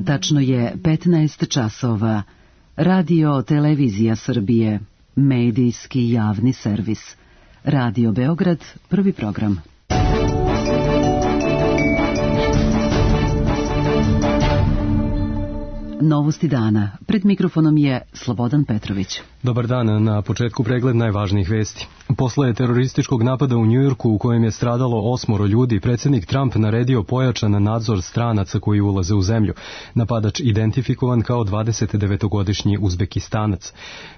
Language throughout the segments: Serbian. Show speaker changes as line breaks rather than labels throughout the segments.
Tačno je 15 časova. Radio Televizija Srbije, medijski javni servis. Radio Beograd, prvi program. Novosti dana. Pred mikrofonom je Slobodan Petrović.
Dobar dan, na početku pregled najvažnijih vesti. Posle terorističkog napada u Njujorku u kojem je stradalo 8 ljudi, predsjednik Trump naredio pojačan nadzor stranaca koji ulaze u zemlju. Napadač identifikovan kao 29-godišnji Uzbekistanac.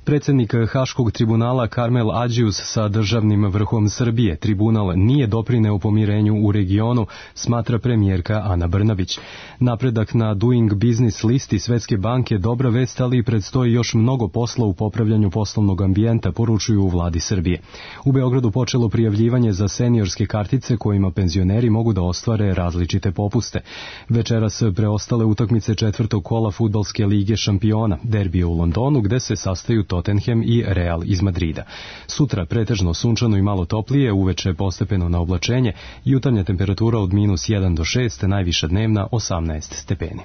Predsjednik Haškog tribunala Karmel Adžius sa državnim vrhom Srbije. Tribunal nije doprineo pomirenju u regionu, smatra premijerka Ana Brnabić. Napredak na Doing Business listi Svetske banke dobra vest, ali predstoji još mnogo posla u popravljanju poslovnog ambijenta, poručuju u vladi Srbije. U Beogradu počelo prijavljivanje za seniorske kartice kojima penzioneri mogu da ostvare različite popuste. Večeras preostale utakmice četvrtog kola fudbalske lige šampiona, derbije u Londonu gde se sastaju Tottenham i Real iz Madrida. Sutra pretežno sunčano i malo toplije, uveče postepeno na oblačenje, jutarnja temperatura od -1 do 6, najviša dnevna 18 stepeni.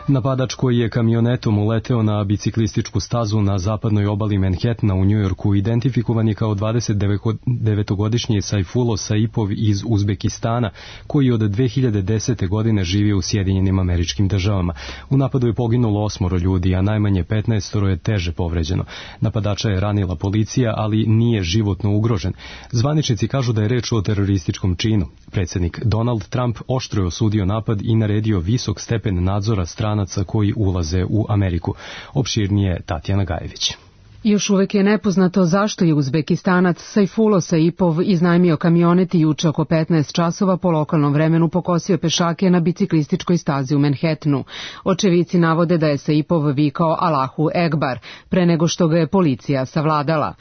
Napadač koji je kamionetom uleteo na biciklističku stazu na zapadnoj obali Manhattana u Njujorku identifikovan je kao 29-godišnji Sajfulo Saipov iz Uzbekistana, koji od 2010. godine živi u Sjedinjenim Američkim Državama. U napadu je poginulo 8 ljudi, a najmanje 15 je teže povređeno. Napadača je ranila policija, ali nije životno ugrožen. Zvaničnici kažu da je reč o terorističkom činu. Predsjednik Donald Trump oštro je osudio napad i naredio visok stepen nadzora stranaca koji ulaze u Ameriku. Opširnije Tatjana Gajević.
Još uvek je nepoznato zašto je Uzbekistanac Sajfulo Saipov iznajmio kamionet i juče oko 15 časova po lokalnom vremenu pokosio pešake na biciklističkoj stazi u Manhattanu. Očevici navode da je Saipov vikao Allahu Ekbar pre nego što ga je policija savladala.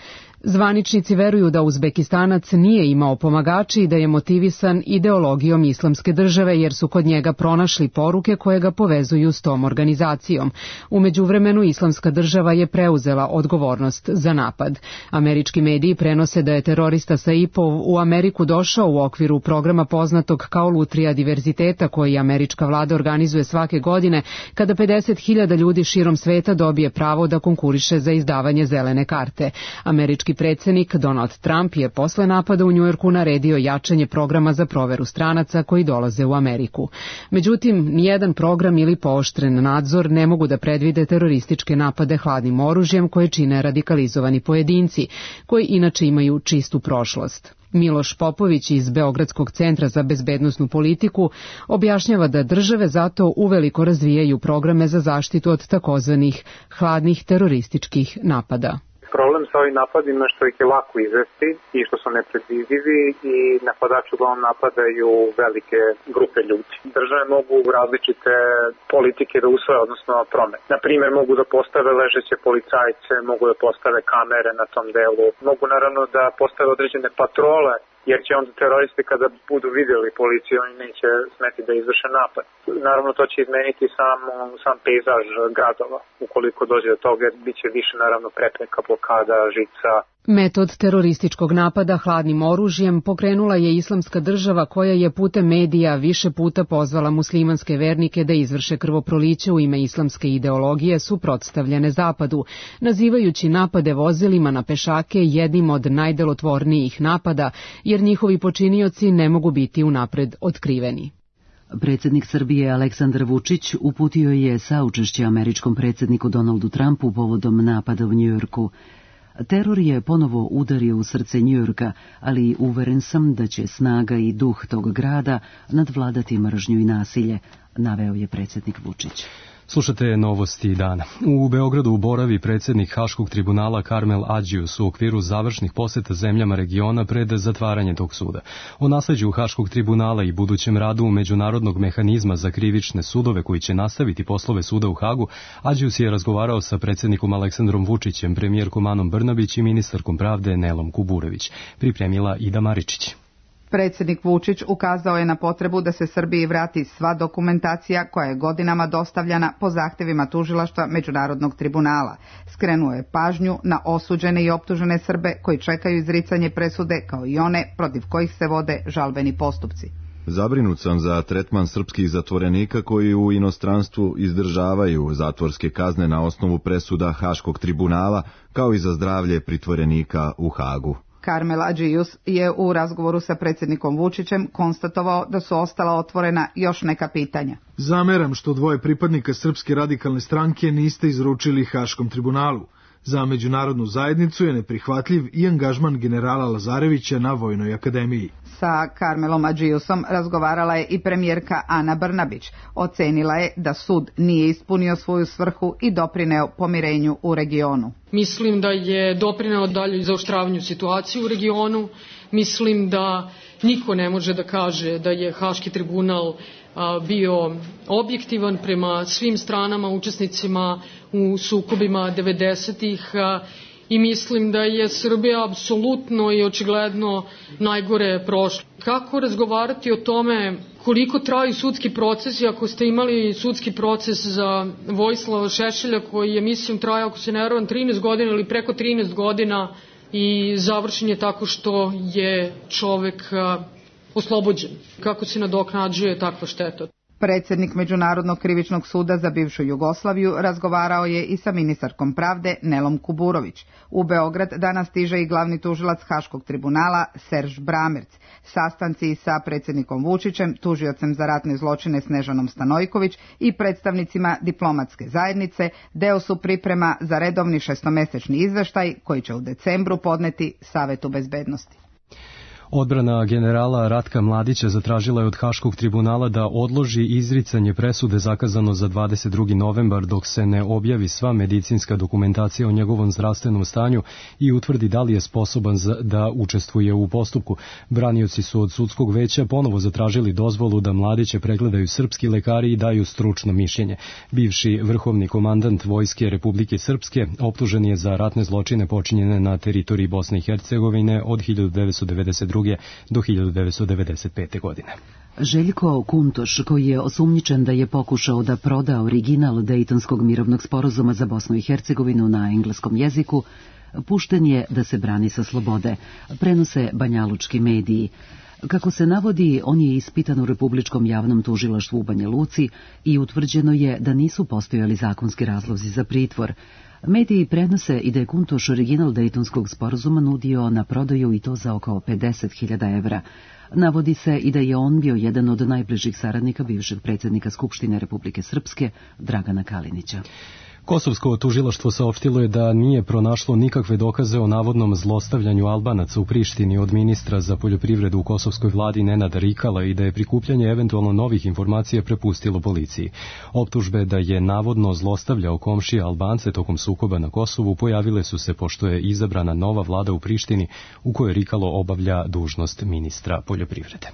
Zvaničnici veruju da Uzbekistanac nije imao pomagači i da je motivisan ideologijom Islamske države jer su kod njega pronašli poruke koje ga povezuju s tom organizacijom. U međuvremenu Islamska država je preuzela odgovornost za napad. Američki mediji prenose da je terorista Saipov u Ameriku došao u okviru programa poznatog kao Lutrija diverziteta koji američka vlada organizuje svake godine kada 50.000 ljudi širom sveta dobije pravo da konkuriše za izdavanje zelene karte. Američki predsjednik Donald Trump je posle napada u Njujorku naredio jačanje programa za proveru stranaca koji dolaze u Ameriku. Međutim, nijedan program ili pooštren nadzor ne mogu da predvide terorističke napade hladnim oružjem koje čine radikalizovani pojedinci, koji inače imaju čistu prošlost. Miloš Popović iz Beogradskog centra za bezbednosnu politiku objašnjava da države zato uveliko razvijaju programe za zaštitu od takozvanih hladnih terorističkih napada.
Problem sa ovim napadima što ih je lako izvesti i što su nepredvidivi i napadači uglavnom napadaju velike grupe ljudi. Države mogu različite politike da usvoje, odnosno promet. Na primjer, mogu da postave ležeće policajce, mogu da postave kamere na tom delu, mogu naravno da postave određene patrole, jer će onda teroristi kada budu vidjeli policiju, oni neće smeti da izvrše napad. Naravno, to će izmeniti sam pejzaž gradova. Ukoliko dođe do toga, bit će više naravno prepreka, blokada, žica.
Metod terorističkog napada hladnim oružjem pokrenula je Islamska država koja je putem medija više puta pozvala muslimanske vernike da izvrše krvoproliće u ime islamske ideologije suprotstavljene zapadu, nazivajući napade vozilima na pešake jednim od najdelotvornijih napada, jer njihovi počinioci ne mogu biti unapred otkriveni.
Predsjednik Srbije Aleksandar Vučić uputio je saučešće američkom predsjedniku Donaldu Trumpu povodom napada u Njujorku. Teror je ponovo udario u srce Njujorka, ali uveren sam da će snaga i duh tog grada nadvladati mržnju i nasilje, naveo je predsjednik Vučić.
Slušate novosti dana. U Beogradu boravi predsjednik Haškog tribunala Karmel Adžius u okviru završnih poseta zemljama regiona pred zatvaranje tog suda. O nasleđu Haškog tribunala i budućem radu međunarodnog mehanizma za krivične sudove koji će nastaviti poslove suda u Hagu, Adžius je razgovarao sa predsjednikom Aleksandrom Vučićem, premijerkom Anom Brnabić i ministarkom pravde Nelom Kuburević. Pripremila Ida Maričić.
Predsjednik Vučić ukazao je na potrebu da se Srbiji vrati sva dokumentacija koja je godinama dostavljana po zahtjevima tužilaštva Međunarodnog tribunala. Skrenuo je pažnju na osuđene i optužene Srbe koji čekaju izricanje presude kao i one protiv kojih se vode žalbeni postupci.
Zabrinut sam za tretman srpskih zatvorenika koji u inostranstvu izdržavaju zatvorske kazne na osnovu presuda Haškog tribunala, kao i za zdravlje pritvorenika u Hagu.
Karmel Adžijus je u razgovoru sa predsjednikom Vučićem konstatovao da su ostala otvorena još neka pitanja.
Zameram što 2 pripadnika Srpske radikalne stranke niste izručili Haškom tribunalu. Za međunarodnu zajednicu je neprihvatljiv i angažman generala Lazarevića na Vojnoj akademiji.
Sa Karmelom Adžijusom razgovarala je i premijerka Ana Brnabić. Ocenila je da sud nije ispunio svoju svrhu i doprineo pomirenju u regionu.
Mislim da je doprineo dalje zaoštravanju situacije u regionu. Mislim da niko ne može da kaže da je Haški tribunal bio objektivan prema svim stranama, učesnicima u sukobima 90-ih i mislim da je Srbija apsolutno i očigledno najgore prošla. Kako razgovarati o tome koliko traju sudski procesi ako ste imali sudski proces za Vojislava Šešelja koji je mislim trajao, ako se ne varam, 13 godina ili preko 13 godina i završen je tako što je čovek oslobođen. Kako se nadoknađuje takva šteta?
Predsjednik Međunarodnog krivičnog suda za bivšu Jugoslaviju razgovarao je i sa ministarkom pravde Nelom Kuburović. U Beograd danas stiže i glavni tužilac Haškog tribunala Serž Bramerc. Sastanci sa predsjednikom Vučićem, tužiocem za ratne zločine Snežanom Stanojković i predstavnicima diplomatske zajednice deo su priprema za redovni 6-mesečni izveštaj koji će u decembru podneti Savetu bezbednosti.
Odbrana generala Ratka Mladića zatražila je od Haškog tribunala da odloži izricanje presude zakazano za 22. novembar dok se ne objavi sva medicinska dokumentacija o njegovom zdravstvenom stanju i utvrdi da li je sposoban da učestvuje u postupku. Branioci su od sudskog veća ponovo zatražili dozvolu da Mladiće pregledaju srpski lekari i daju stručno mišljenje. Bivši vrhovni komandant Vojske Republike Srpske optužen je za ratne zločine počinjene na teritoriji Bosne i Hercegovine od 1992. do 1995. godine.
Željko Kuntoš, koji je osumnjičen da je pokušao da proda original Dejtonskog mirovnog sporazuma za Bosnu i Hercegovinu na engleskom jeziku, pušten je da se brani sa slobode, prenose banjalučki mediji. Kako se navodi, on je ispitan u Republičkom javnom tužilaštvu u Banja Luci i utvrđeno je da nisu postojali zakonski razlozi za pritvor. Mediji prenose i da je Kuntoš original Dejtonskog sporazuma nudio na prodaju i to za oko 50.000 evra. Navodi se i da je on bio jedan od najbližih saradnika bivšeg predsjednika Skupštine Republike Srpske, Dragana Kalinića.
Kosovsko tužilaštvo saopštilo je da nije pronašlo nikakve dokaze o navodnom zlostavljanju Albanaca u Prištini od ministra za poljoprivredu u kosovskoj vladi Nenada Rikala i da je prikupljanje eventualno novih informacija prepustilo policiji. Optužbe da je navodno zlostavljao komšije Albance tokom sukoba na Kosovu pojavile su se pošto je izabrana nova vlada u Prištini u kojoj Rikalo obavlja dužnost ministra poljoprivrede.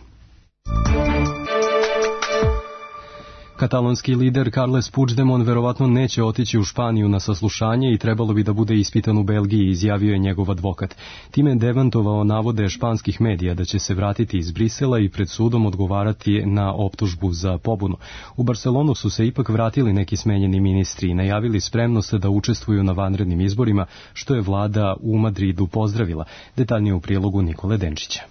Katalonski lider Carles Puigdemont verovatno neće otići u Španiju na saslušanje i trebalo bi da bude ispitan u Belgiji, izjavio je njegov advokat. Time je demantovao navode španskih medija da će se vratiti iz Brisela i pred sudom odgovarati na optužbu za pobunu. U Barcelonu su se ipak vratili neki smenjeni ministri i najavili spremnost da učestvuju na vanrednim izborima, što je vlada u Madridu pozdravila. Detaljnije u prilogu Nikole Denčića.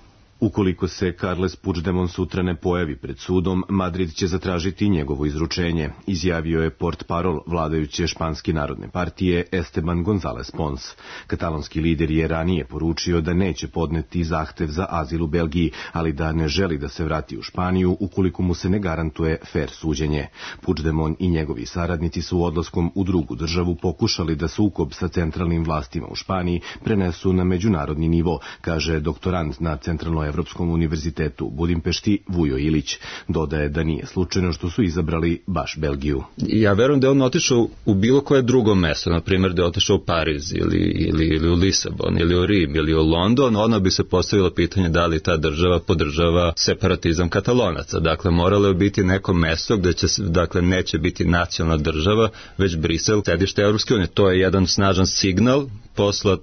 Ukoliko se Carles Puigdemont sutra ne pojavi pred sudom, Madrid će zatražiti njegovo izručenje, izjavio je portparol vladajuće Španske narodne partije Esteban González Pons. Katalonski lider je ranije poručio da neće podneti zahtev za azil u Belgiji, ali da ne želi da se vrati u Španiju ukoliko mu se ne garantuje fer suđenje. Puigdemont i njegovi saradnici su odlaskom u drugu državu pokušali da sukob sa centralnim vlastima u Španiji prenesu na međunarodni nivo, kaže doktorant na Centralnoj Evropskom univerzitetu u Budimpešti Vujo Ilić. Dodaje da nije slučajno što su izabrali baš Belgiju.
Ja verujem da je on otišao u bilo koje drugo mesto, na primjer da je otišao u Pariz ili u Lisabon ili u Rim ili u London, onda bi se postavilo pitanje da li ta država podržava separatizam Katalonaca. Dakle, moralo je biti neko mesto gde će, dakle, neće biti nacionalna država, već Brisel, sedište Evropske unije. To je jedan snažan signal poslat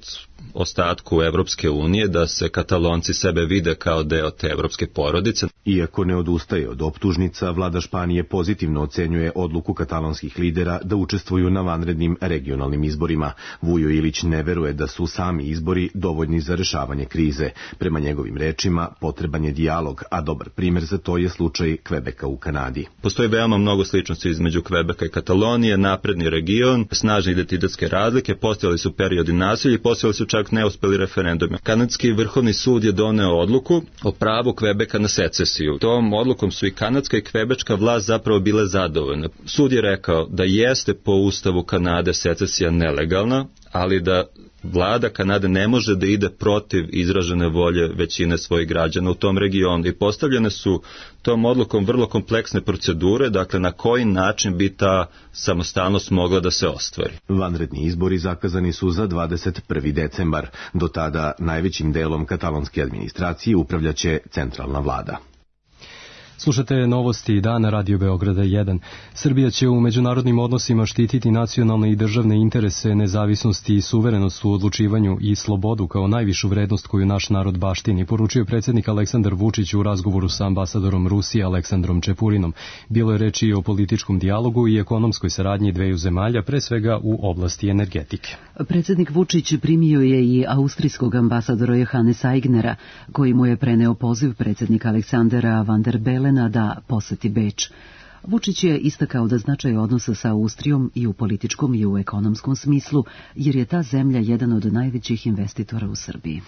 ostatku Evropske unije da se Katalonci sebe vide kao deo te evropske porodice.
Iako ne odustaje od optužnica, vlada Španije pozitivno ocenjuje odluku katalonskih lidera da učestvuju na vanrednim regionalnim izborima. Vujo Ilić ne veruje da su sami izbori dovoljni za rešavanje krize. Prema njegovim rečima, potreban je dijalog, a dobar primer za to je slučaj Kvebeka u Kanadi.
Postoji veoma mnogo sličnosti između Kvebeka i Katalonije, napredni region, snažne identitetske razlike, postojali su periodi nasilja i postojali su čak neuspeli referendumi. Kanadski vrhovni sud je doneo odluku o pravu Kvebeka na secesiju. Tom odlukom su i kanadska i kvebečka vlast zapravo bile zadovoljne. Sud je rekao da jeste po ustavu Kanade secesija nelegalna, ali da vlada Kanade ne može da ide protiv izražene volje većine svojih građana u tom regionu i postavljene su tom odlukom vrlo kompleksne procedure, dakle na koji način bi ta samostalnost mogla da se ostvari.
Vanredni izbori zakazani su za 21. decembar. Do tada najvećim delom katalonske administracije upravljaće centralna vlada.
Slušate novosti dana Radio Beograda 1. Srbija će u međunarodnim odnosima štititi nacionalne i državne interese, nezavisnost i suverenost u odlučivanju i slobodu kao najvišu vrednost koju naš narod baštini, poručio predsjednik Aleksandar Vučić u razgovoru sa ambasadorom Rusije Aleksandrom Čepurinom. Bilo je reči o političkom dijalogu i ekonomskoj saradnji dveju zemalja, pre svega u oblasti energetike.
Predsjednik Vučić primio je i austrijskog ambasadora Johannesa Aignera, koji mu je preneo poziv predsjednika Aleksandra Van der Belena da poseti Beč. Vučić je istakao da značaj odnosa sa Austrijom i u političkom i u ekonomskom smislu, jer je ta zemlja jedan od najvećih investitora u Srbiji.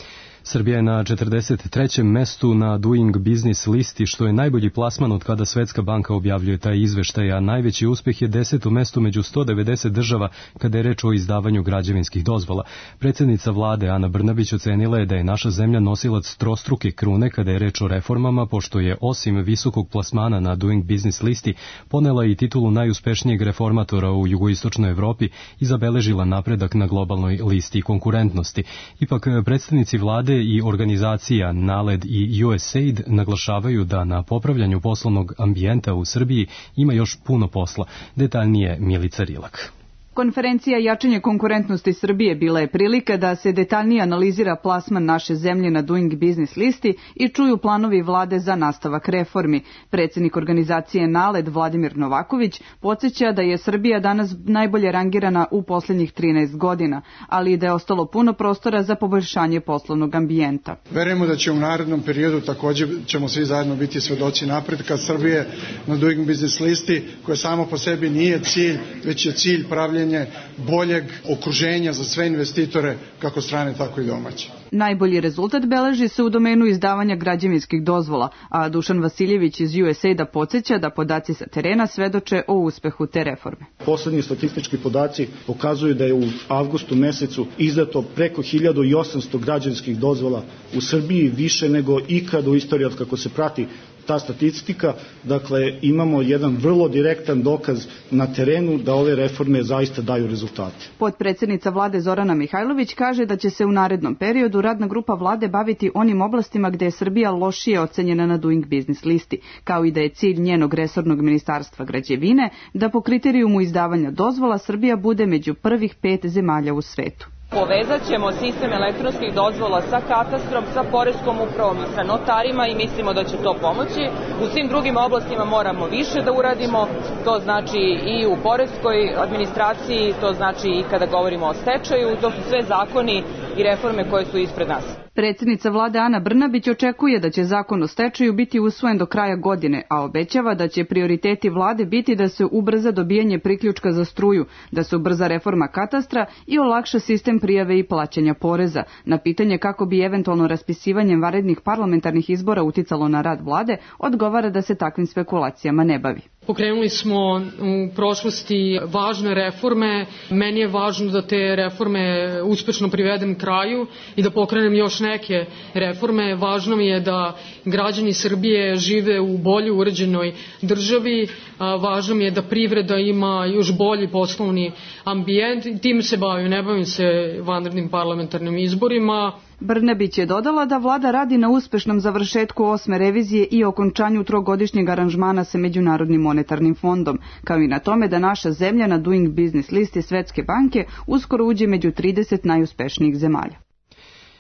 Srbija je na 43. mestu na Doing Business listi, što je najbolji plasman od kada Svetska banka objavljuje taj izveštaj, a najveći uspeh je 10. mesto među 190 država kada je reč o izdavanju građevinskih dozvola. Predsjednica vlade Ana Brnabić ocenila je da je naša zemlja nosilac trostruke krune kada je reč o reformama, pošto je osim visokog plasmana na Doing Business listi ponela i titulu najuspešnijeg reformatora u jugoistočnoj Evropi i zabeležila napredak na globalnoj listi konkurentnosti. Ipak predstavnici vlade i organizacija NALED i USAID naglašavaju da na popravljanju poslovnog ambijenta u Srbiji ima još puno posla. Detaljnije Milica Rilak.
Konferencija Jačanje konkurentnosti Srbije bila je prilika da se detaljnije analizira plasman naše zemlje na Doing Business listi i čuju planovi vlade za nastavak reformi. Predsjednik organizacije NALED Vladimir Novaković podsjeća da je Srbija danas najbolje rangirana u posljednjih 13 godina, ali i da je ostalo puno prostora za poboljšanje poslovnog ambijenta.
Verujemo da će u narednom periodu također ćemo svi zajedno biti svedoci napretka Srbije na Doing Business listi, koja samo po sebi nije cilj, već je cilj pravljenja boljeg okruženja za sve investitore, kako strane, tako i domaće.
Najbolji rezultat beleži se u domenu izdavanja građevinskih dozvola, a Dušan Vasiljević iz USAID-a podsjeća da podaci sa terena svedoče o uspehu te reforme.
Poslednji statistički podaci pokazuju da je u avgustu mesecu izdato preko 1800 građevinskih dozvola u Srbiji, više nego ikad u istoriji od kako se prati ta statistika. Dakle, imamo jedan vrlo direktan dokaz na terenu da ove reforme zaista daju rezultate.
Potpredsjednica vlade Zorana Mihajlović kaže da će se u narednom periodu radna grupa vlade baviti onim oblastima gde je Srbija lošije ocenjena na Doing Business listi, kao i da je cilj njenog resornog ministarstva građevine da po kriterijumu izdavanja dozvola Srbija bude među prvih 5 zemalja u svetu.
Povezat ćemo sistem elektronskih dozvola sa katastrom, sa poreskom upravom i sa notarima i mislimo da će to pomoći. U svim drugim oblastima moramo više da uradimo, to znači i u poreskoj administraciji, to znači i kada govorimo o stečaju, to su sve zakoni i reforme koje su ispred nas.
Predsjednica vlade Ana Brnabić očekuje da će zakon o stečaju biti usvojen do kraja godine, a obećava da će prioriteti vlade biti da se ubrza dobijanje priključka za struju, da se ubrza reforma katastra i olakša sistem prijave i plaćanja poreza. Na pitanje kako bi eventualno raspisivanjem vanrednih parlamentarnih izbora uticalo na rad vlade, odgovara da se takvim spekulacijama ne bavi.
Pokrenuli smo u prošlosti važne reforme. Meni je važno da te reforme uspešno privedem kraju i da pokrenem još neke reforme. Važno mi je da građani Srbije žive u bolje uređenoj državi. Važno mi je da privreda ima još bolji poslovni ambijent. Tim se bavim, ne bavim se vanrednim parlamentarnim izborima.
Brnabić je dodala da vlada radi na uspešnom završetku 8. revizije i okončanju trogodišnjeg aranžmana sa Međunarodnim monetarnim fondom, kao i na tome da naša zemlja na Doing Business listi Svetske banke uskoro uđe među 30 najuspešnijih zemalja.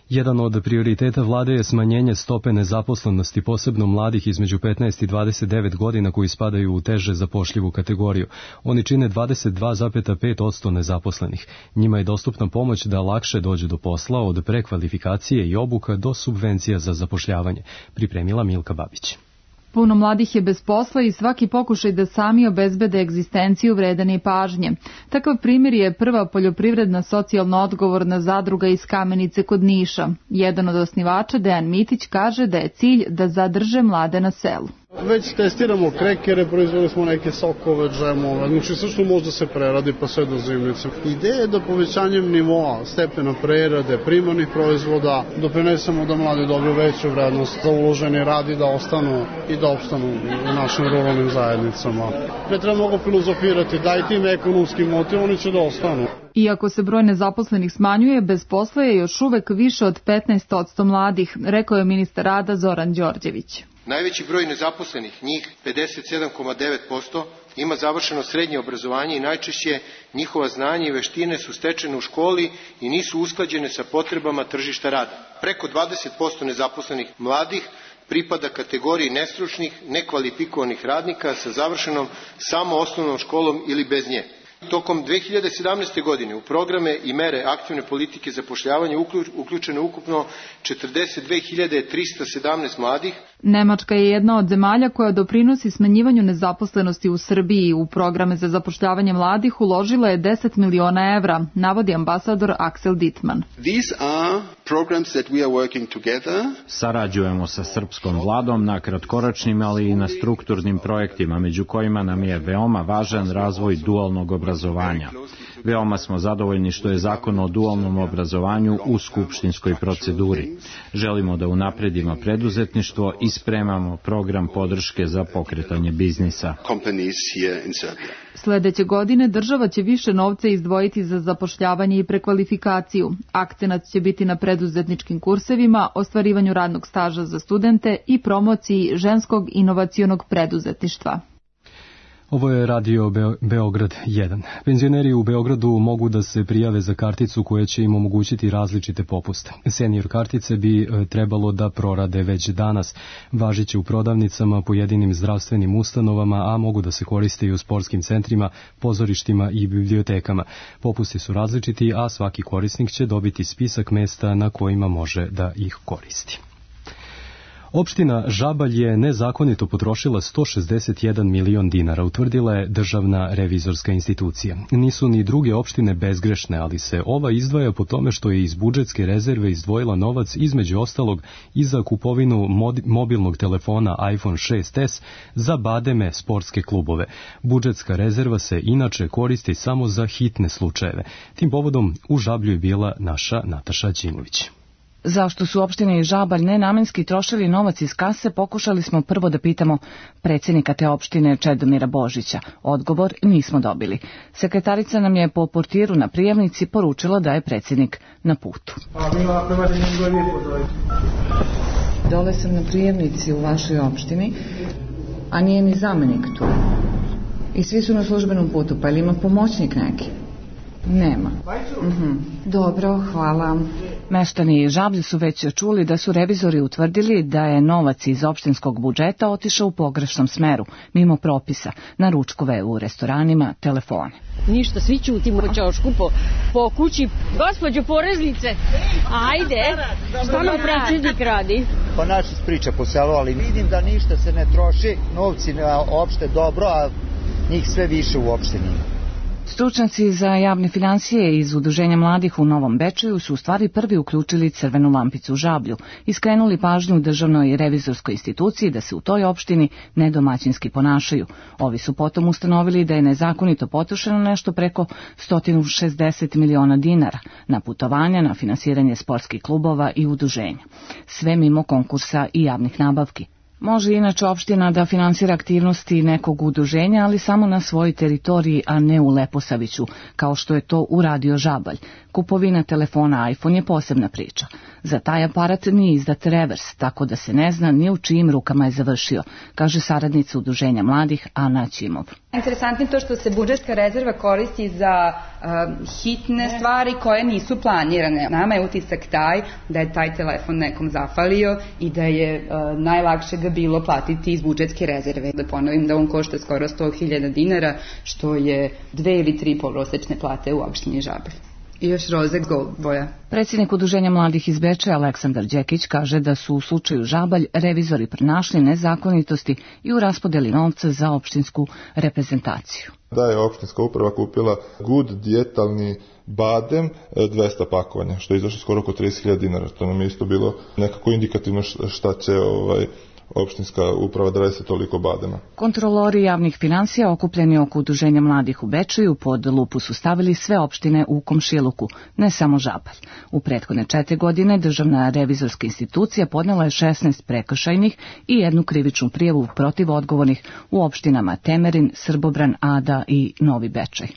Jedan od prioriteta vlade je smanjenje stope nezaposlenosti, posebno mladih između 15 i 29 godina koji spadaju u teže zapošljivu kategoriju. Oni čine 22,5% nezaposlenih. Njima je dostupna pomoć da lakše dođu do posla, od prekvalifikacije i obuka do subvencija za zapošljavanje, pripremila Milka Babić.
Puno mladih je bez posla i svaki pokušaj da sami obezbede egzistenciju vredan je pažnje. Takav primjer je prva poljoprivredna socijalno odgovorna zadruga iz Kamenice kod Niša. Jedan od osnivača, Dejan Mitić, kaže da je cilj da zadrže mlade na selu.
Već testiramo krekere, proizveli smo neke sokove, džemove, znači sve što može da se preradi pa sve do zimnice. Ideja je da povećanjem nivoa, stepena prerade, primarnih proizvoda, doprinesemo da mladi dobiju veću vrednost za uloženi rad i da ostanu i da opstanu u našim ruralnim zajednicama. Ne treba mnogo filozofirati, daj tim ekonomskim motiv, oni će da ostanu.
Iako se broj nezaposlenih smanjuje, bez posla je još uvek više od 15% mladih, rekao je ministar rada Zoran Đorđević.
Najveći broj nezaposlenih, njih 57,9%, ima završeno srednje obrazovanje i najčešće njihova znanja i veštine su stečene u školi i nisu usklađene sa potrebama tržišta rada. Preko 20% nezaposlenih mladih pripada kategoriji nestručnih, nekvalifikovanih radnika sa završenom samo osnovnom školom ili bez nje. Tokom 2017. godine u programe i mere aktivne politike zapošljavanja uključeno ukupno 42.317 mladih.
Nemačka je jedna od zemalja koja doprinosi smanjivanju nezaposlenosti u Srbiji. U programe za zapošljavanje mladih uložila je 10 miliona evra, navodi ambasador Axel Dittmann.
Sarađujemo sa srpskom vladom na kratkoročnim, ali i na strukturnim projektima, među kojima nam je veoma važan razvoj dualnog obrazovanja. Veoma smo zadovoljni što je zakon o dualnom obrazovanju u skupštinskoj proceduri. Želimo da unapredimo preduzetništvo i spremamo program podrške za pokretanje biznisa.
Sledeće godine država će više novca izdvojiti za zapošljavanje i prekvalifikaciju. Akcenat će biti na preduzetničkim kursevima, ostvarivanju radnog staža za studente i promociji ženskog inovacionog preduzetništva.
Ovo je Radio Beograd 1. Penzioneri u Beogradu mogu da se prijave za karticu koja će im omogućiti različite popuste. Senior kartice bi trebalo da prorade već danas. Važiće u prodavnicama, pojedinim zdravstvenim ustanovama, a mogu da se koriste i u sportskim centrima, pozorištima i bibliotekama. Popusti su različiti, a svaki korisnik će dobiti spisak mesta na kojima može da ih koristi. Opština Žabalj je nezakonito potrošila 161 milion dinara, utvrdila je državna revizorska institucija. Nisu ni druge opštine bezgrešne, ali se ova izdvaja po tome što je iz budžetske rezerve izdvojila novac između ostalog i za kupovinu mobilnog telefona iPhone 6s za bademe sportske klubove. Budžetska rezerva se inače koristi samo za hitne slučajeve. Tim povodom u Žablju je bila naša Nataša Đimović.
Zašto su opštine i Žabalj nenamenski trošili novac iz kase, pokušali smo prvo da pitamo predsjednika te opštine Čedomira Božića. Odgovor nismo dobili. Sekretarica nam je po portiru na prijemnici poručila da je predsjednik na putu. Dole sam na prijemnici u vašoj opštini, a nije ni zamenik tu. I svi su na službenom putu, pa ili ima pomoćnik neki? Nema. Dobro, hvala. Meštani Žablje su već čuli da su revizori utvrdili da je novac iz opštinskog budžeta otišao u pogrešnom smeru, mimo propisa, na ručkove u restoranima, telefone.
Ništa, svi ćutimo ćošku po kući. Gospođo poreznice, ajde, šta nam predsjednik radi?
Pa naši priča po selu, ali vidim da ništa se ne troši, novci opšte dobro, a njih sve više u opštini.
Stručnjaci za javne financije iz Udruženja mladih u Novom Bečeju su u stvari prvi uključili crvenu lampicu u Žablju i skrenuli pažnju državnoj revizorskoj instituciji da se u toj opštini nedomaćinski ponašaju. Ovi su potom ustanovili da je nezakonito potrošeno nešto preko 160 miliona dinara na putovanja, na finansiranje sportskih klubova i udruženja. Sve mimo konkursa i javnih nabavki.
Može inače opština da finansira aktivnosti nekog udruženja, ali samo na svojoj teritoriji, a ne u Leposaviću, kao što je to uradio Žabalj. Kupovina telefona iPhone je posebna priča. Za taj aparat nije izdat revers, tako da se ne zna ni u čijim rukama je završio, kaže saradnica Udruženja mladih Ana Ćimov.
Interesantno je to što se budžetska rezerva koristi za hitne stvari koje nisu planirane. Nama je utisak taj da je taj telefon nekom zafalio i da je najlakše ga bilo platiti iz budžetske rezerve. Da ponovim da on košta skoro 100.000 dinara, što je 2 ili 3 prosečne plate u opštini Žabalj. I još roze gold boja.
Predsjednik Udruženja mladih iz Bečeja Aleksandar Đekić kaže da su u slučaju Žabalj revizori pronašli nezakonitosti i u raspodeli novca za opštinsku reprezentaciju.
Da je opštinska uprava kupila Good dijetalni badem 200 pakovanja, što je izašlo skoro oko 30.000 dinara. To nam je isto bilo nekako indikativno šta će opštinska uprava da radi se toliko badema.
Kontrolori javnih finansija okupljeni oko Udruženja mladih u Bečeju pod lupu su stavili sve opštine u komšiluku, ne samo Žabalj. U prethodne 4 godine Državna revizorska institucija podnela je 16 prekršajnih i 1 krivičnu prijavu protiv odgovornih u opštinama Temerin, Srbobran, Ada i Novi Bečej.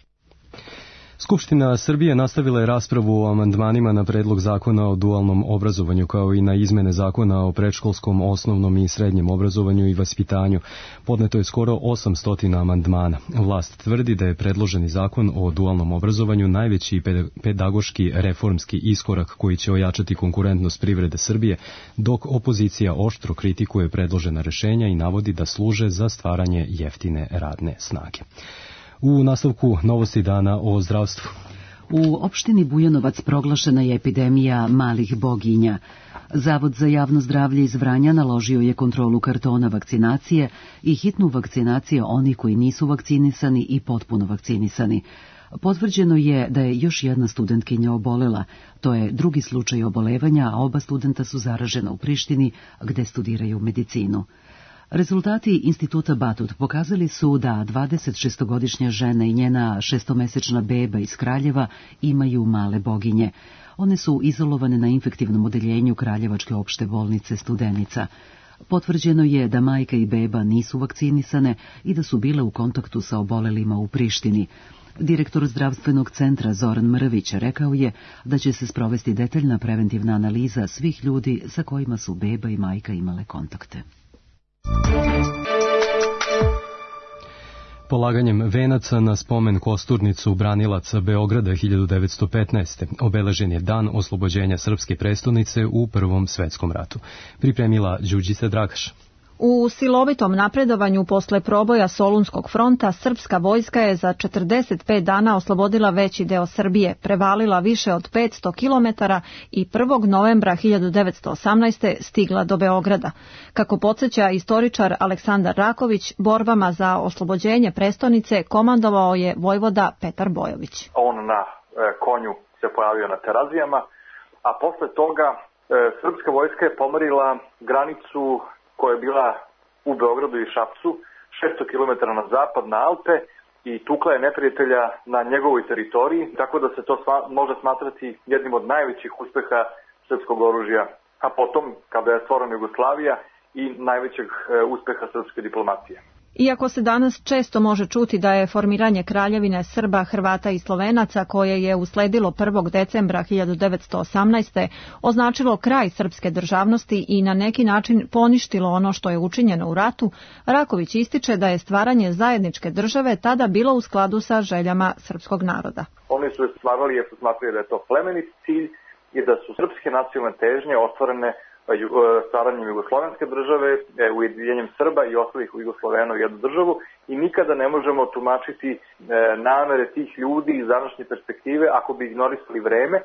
Skupština Srbije nastavila je raspravu o amandmanima na predlog zakona o dualnom obrazovanju kao i na izmene zakona o predškolskom, osnovnom i srednjem obrazovanju i vaspitanju. Podneto je skoro 800 amandmana. Vlast tvrdi da je predloženi zakon o dualnom obrazovanju najveći pedagoški reformski iskorak koji će ojačati konkurentnost privrede Srbije, dok opozicija oštro kritikuje predložena rešenja i navodi da služe za stvaranje jeftine radne snage. U nastavku novosti dana o zdravstvu.
U opštini Bujanovac proglašena je epidemija malih boginja. Zavod za javno zdravlje iz Vranja naložio je kontrolu kartona vakcinacije i hitnu vakcinaciju onih koji nisu vakcinisani i potpuno vakcinisani. Potvrđeno je da je još jedna studentkinja obolela. To je drugi slučaj obolevanja, a oba studenta su zaražena u Prištini, gde studiraju medicinu. Rezultati Instituta Batut pokazali su da 26-godišnja žena i njena 6-mesečna beba iz Kraljeva imaju male boginje. One su izolovane na infektivnom odeljenju Kraljevačke opšte bolnice Studenica. Potvrđeno je da majka i beba nisu vakcinisane i da su bile u kontaktu sa obolelima u Prištini. Direktor zdravstvenog centra Zoran Mrvić rekao je da će se sprovesti detaljna preventivna analiza svih ljudi sa kojima su beba i majka imale kontakte.
Polaganjem venaca na spomen kosturnicu branilaca Beograda 1915. obeležen je dan oslobođenja srpske prestonice u Prvom svetskom ratu. Pripremila Đurđica Dragaš.
U silovitom napredovanju posle proboja Solunskog fronta, srpska vojska je za 45 dana oslobodila veći deo Srbije, prevalila više od 500 kilometara i 1. novembra 1918. stigla do Beograda. Kako podsjeća istoričar Aleksandar Raković, borbama za oslobođenje prestonice komandovao je vojvoda Petar Bojović.
On na konju se pojavio na Terazijama, a posle toga srpska vojska je pomerila granicu koja je bila u Beogradu i Šapcu, 600 km na zapad, na Alpe, i tukla je neprijatelja na njegovoj teritoriji, tako da se to može smatrati jednim od najvećih uspeha srpskog oružja, a potom, kada je stvorena Jugoslavija, i najvećeg uspeha srpske diplomatije.
Iako se danas često može čuti da je formiranje kraljevine Srba, Hrvata i Slovenaca, koje je usledilo 1. decembra 1918. označilo kraj srpske državnosti i na neki način poništilo ono što je učinjeno u ratu, Raković ističe da je stvaranje zajedničke države tada bilo u skladu sa željama srpskog naroda.
Oni su stvarali jer su smatrali da je to plemenit cilj i da su srpske nacionalne težnje ostvarene stvaranjem jugoslovenske države, ujedinjenjem Srba i ostalih u Jugoslovenu jednu državu, i nikada ne možemo tumačiti namere tih ljudi iz današnje perspektive ako bi ignorisali vreme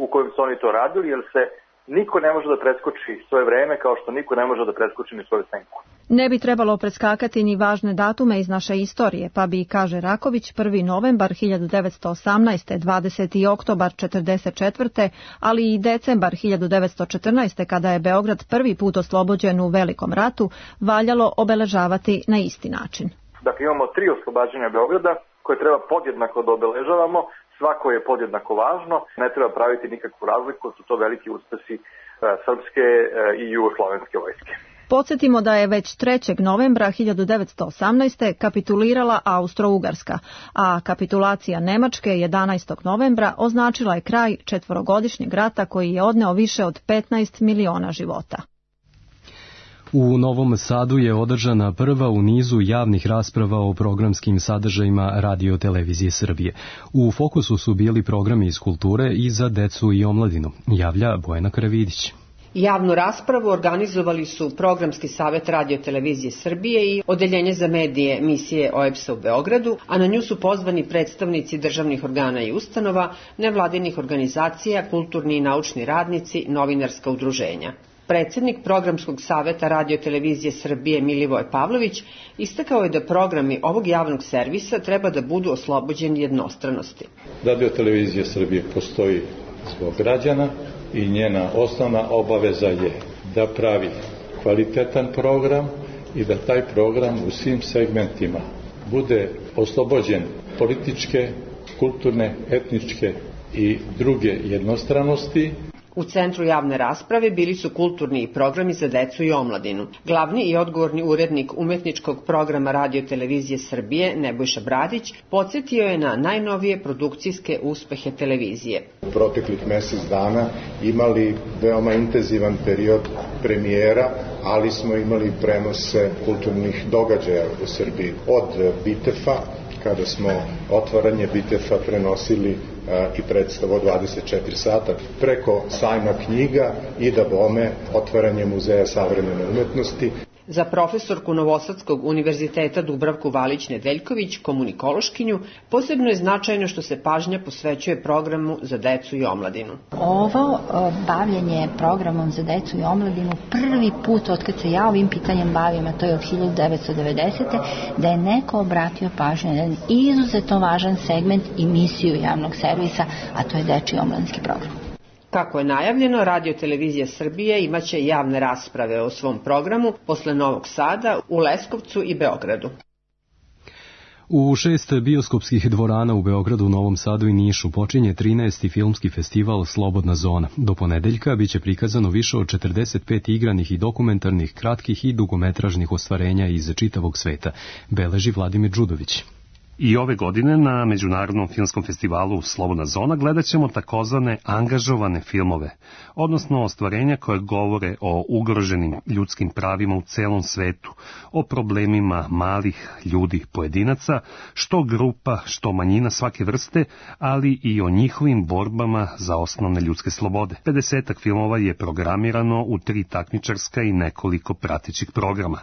u kojem su oni to radili, jer se niko ne može da preskoči svoje vreme kao što niko ne može da preskoči ni svoju senku.
Ne bi trebalo preskakati ni važne datume iz naše istorije, pa bi, kaže Raković, 1. novembar 1918., 20. oktobar 1944., ali i decembar 1914. kada je Beograd prvi put oslobođen u Velikom ratu, valjalo obeležavati na isti način.
Dakle, imamo 3 oslobađanja Beograda koje treba podjednako da obeležavamo, svako je podjednako važno, ne treba praviti nikakvu razliku, su to veliki uspesi srpske i jugoslovenske vojske.
Podsjetimo da je već 3. novembra 1918. kapitulirala Austro-Ugarska, a kapitulacija Nemačke 11. novembra označila je kraj 4-godišnjeg rata koji je odneo više od 15 miliona života.
U Novom Sadu je održana prva u nizu javnih rasprava o programskim sadržajima Radio-televizije Srbije. U fokusu su bili programi iz kulture i za decu i omladinu, javlja Bojana Karavidić.
Javnu raspravu organizovali su Programski savet Radio-televizije Srbije i Odeljenje za medije misije OEBS-a u Beogradu, a na nju su pozvani predstavnici državnih organa i ustanova, nevladinih organizacija, kulturni i naučni radnici, novinarska udruženja. Predsednik Programskog saveta Radio-televizije Srbije Milivoj Pavlović istakao je da programi ovog javnog servisa treba da budu oslobođeni jednostranosti.
Radio-televizija Srbije postoji zbog građana i njena osnovna obaveza je da pravi kvalitetan program i da taj program u svim segmentima bude oslobođen političke, kulturne, etničke i druge jednostranosti.
U centru javne rasprave bili su kulturni i programi za decu i omladinu. Glavni i odgovorni urednik umetničkog programa Radio-televizije Srbije, Nebojša Bradić, podsjetio je na najnovije produkcijske uspehe televizije.
U proteklih mesec dana imali veoma intenzivan period premijera, ali smo imali prenose kulturnih događaja u Srbiji. Od Bitefa, kada smo otvaranje Bitefa prenosili i predstavu 24 sata, preko sajma knjiga i da bome otvaranje Muzeja savremene umetnosti.
Za profesorku Novosadskog univerziteta Dubravku Valić-Nedeljković, komunikološkinju, posebno je značajno što se pažnja posvećuje programu za decu i omladinu.
Ovo bavljenje programom za decu i omladinu prvi put od kad se ja ovim pitanjem bavim, a to je od 1990. da je neko obratio pažnju na jedan izuzetno važan segment i misiju javnog servisa, a to je dečiji omladinski program.
Kako je najavljeno, Radio-televizija Srbije imaće javne rasprave o svom programu posle Novog Sada, u Leskovcu i Beogradu.
U 6 bioskopskih dvorana u Beogradu, Novom Sadu i Nišu počinje 13. filmski festival Slobodna zona. Do ponedeljka biće prikazano više od 45 igranih i dokumentarnih, kratkih i dugometražnih ostvarenja iz čitavog sveta, beleži Vladimir Đudović.
I ove godine na Međunarodnom filmskom festivalu Slobodna zona gledat ćemo takozvane angažovane filmove, odnosno ostvarenja koje govore o ugroženim ljudskim pravima u celom svetu, o problemima malih ljudi pojedinaca, što grupa, što manjina svake vrste, ali i o njihovim borbama za osnovne ljudske slobode. 50 filmova je programirano u 3 takmičarska i nekoliko pratećih programa.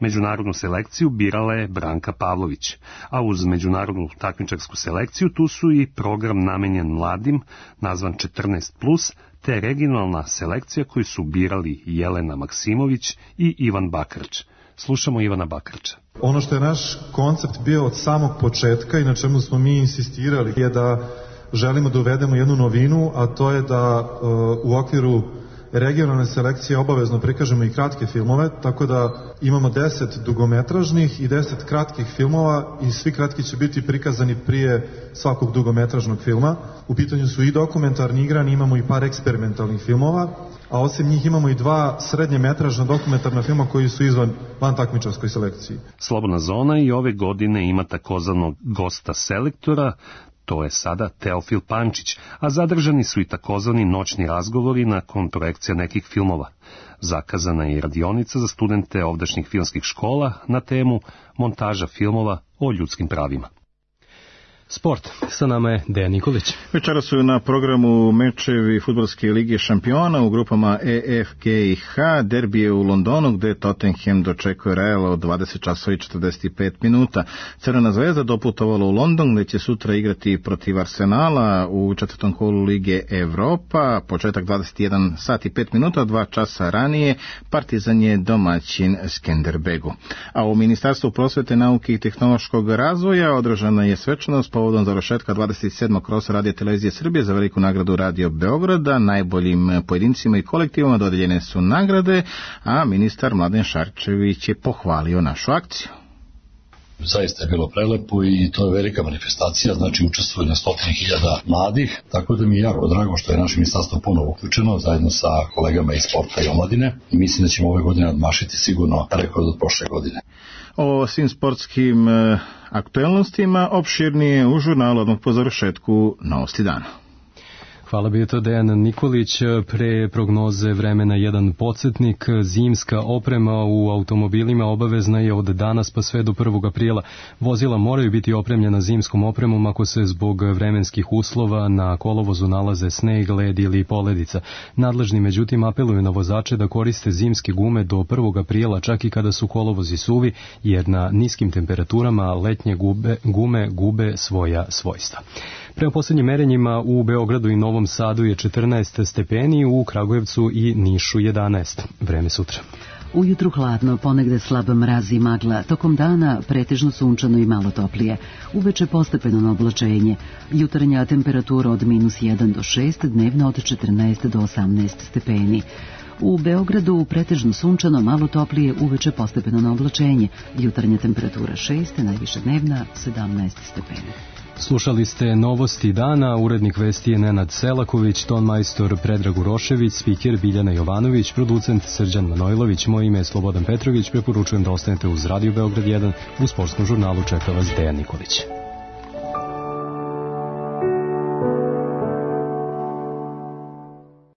Međunarodnu selekciju birala je Branka Pavlović, a uz međunarodnu takmičarsku selekciju tu su i program namenjen mladim, nazvan 14+, te regionalna selekcija koju su birali Jelena Maksimović i Ivan Bakarč. Slušamo Ivana Bakarča.
Ono što je naš koncept bio od samog početka i na čemu smo mi insistirali je da želimo da uvedemo jednu novinu, a to je da u okviru regionalne selekcije obavezno prikažemo i kratke filmove, tako da imamo 10 dugometražnih i 10 kratkih filmova i svi kratki će biti prikazani prije svakog dugometražnog filma. U pitanju su i dokumentarni igrani, imamo i par eksperimentalnih filmova, a osim njih imamo i 2 srednjemetražna dokumentarna filma koji su van takmičarskoj selekciji.
Slobodna zona i ove godine ima takozvanog gosta selektora, to je sada Teofil Pančić, a zadržani su i takozvani noćni razgovori nakon projekcija nekih filmova. Zakazana je i radionica za studente ovdašnjih filmskih škola na temu montaža filmova o ljudskim pravima.
Sport. Sa nama je Dejan Nikolić.
Večera su na programu mečevi Fudbalske lige šampiona u grupama E, F, G i H. Derbi je u Londonu gde Tottenham dočekuje Real od 20 časova i 45 minuta. Crvena zvezda doputovala u London gde će sutra igrati protiv Arsenala u 4. kolu Lige Evropa. Početak 21 sat i 5 minuta, 2 časa ranije. Partizan je domaćin Skenderbegu. A u Ministarstvu prosvete, nauke i tehnološkog razvoja održana je svečanost povodom završetka 27. krosa Radio-televizije Srbije za veliku nagradu Radio Beograda. Najboljim pojedincima i kolektivima dodeljene su nagrade, a ministar Mladen Šarčević je pohvalio našu akciju.
Zaista je bilo prelepo i to je velika manifestacija, znači učestvuje na 100.000 mladih, tako da mi je jako drago što je naše ministarstvo ponovo uključeno zajedno sa kolegama iz sporta i omladine i mislim da ćemo ove godine nadmašiti sigurno rekord od prošle godine.
O svim sportskim aktuelnostima opširnije u žurnalu odmah po završetku Novosti dana.
Hvala bi to Dejan Nikolić. Pre prognoze vremena jedan podsjetnik. Zimska oprema u automobilima obavezna je od danas pa sve do 1. aprila. Vozila moraju biti opremljena zimskom opremom ako se zbog vremenskih uslova na kolovozu nalaze sneg, led ili poledica. Nadležni međutim apeluju na vozače da koriste zimske gume do 1. aprila čak i kada su kolovozi suvi, jer na niskim temperaturama letnje gume gube svoja svojstva. Prema posljednjim merenjima u Beogradu i Novom Sadu je 14 stepeni, u Kragujevcu i Nišu 11. Vreme sutra.
Ujutru hladno, ponegde slab mraz i magla, tokom dana pretežno sunčano i malo toplije. Uveče postepeno na oblačenje. Jutarnja temperatura od -1 do 6, dnevna od 14 do 18 stepeni. U Beogradu pretežno sunčano, malo toplije, uveče postepeno na oblačenje. Jutarnja temperatura 6, najviša dnevna 17 stepeni.
Slušali ste Novosti dana, urednik vesti je Nenad Selaković, tonmajstor Predrag Urošević, spiker Biljana Jovanović, producent Srđan Manojlović, moje ime je Slobodan Petrović, preporučujem da ostanete uz Radio Beograd 1, u sportskom žurnalu čeka vas Dejan Nikolić.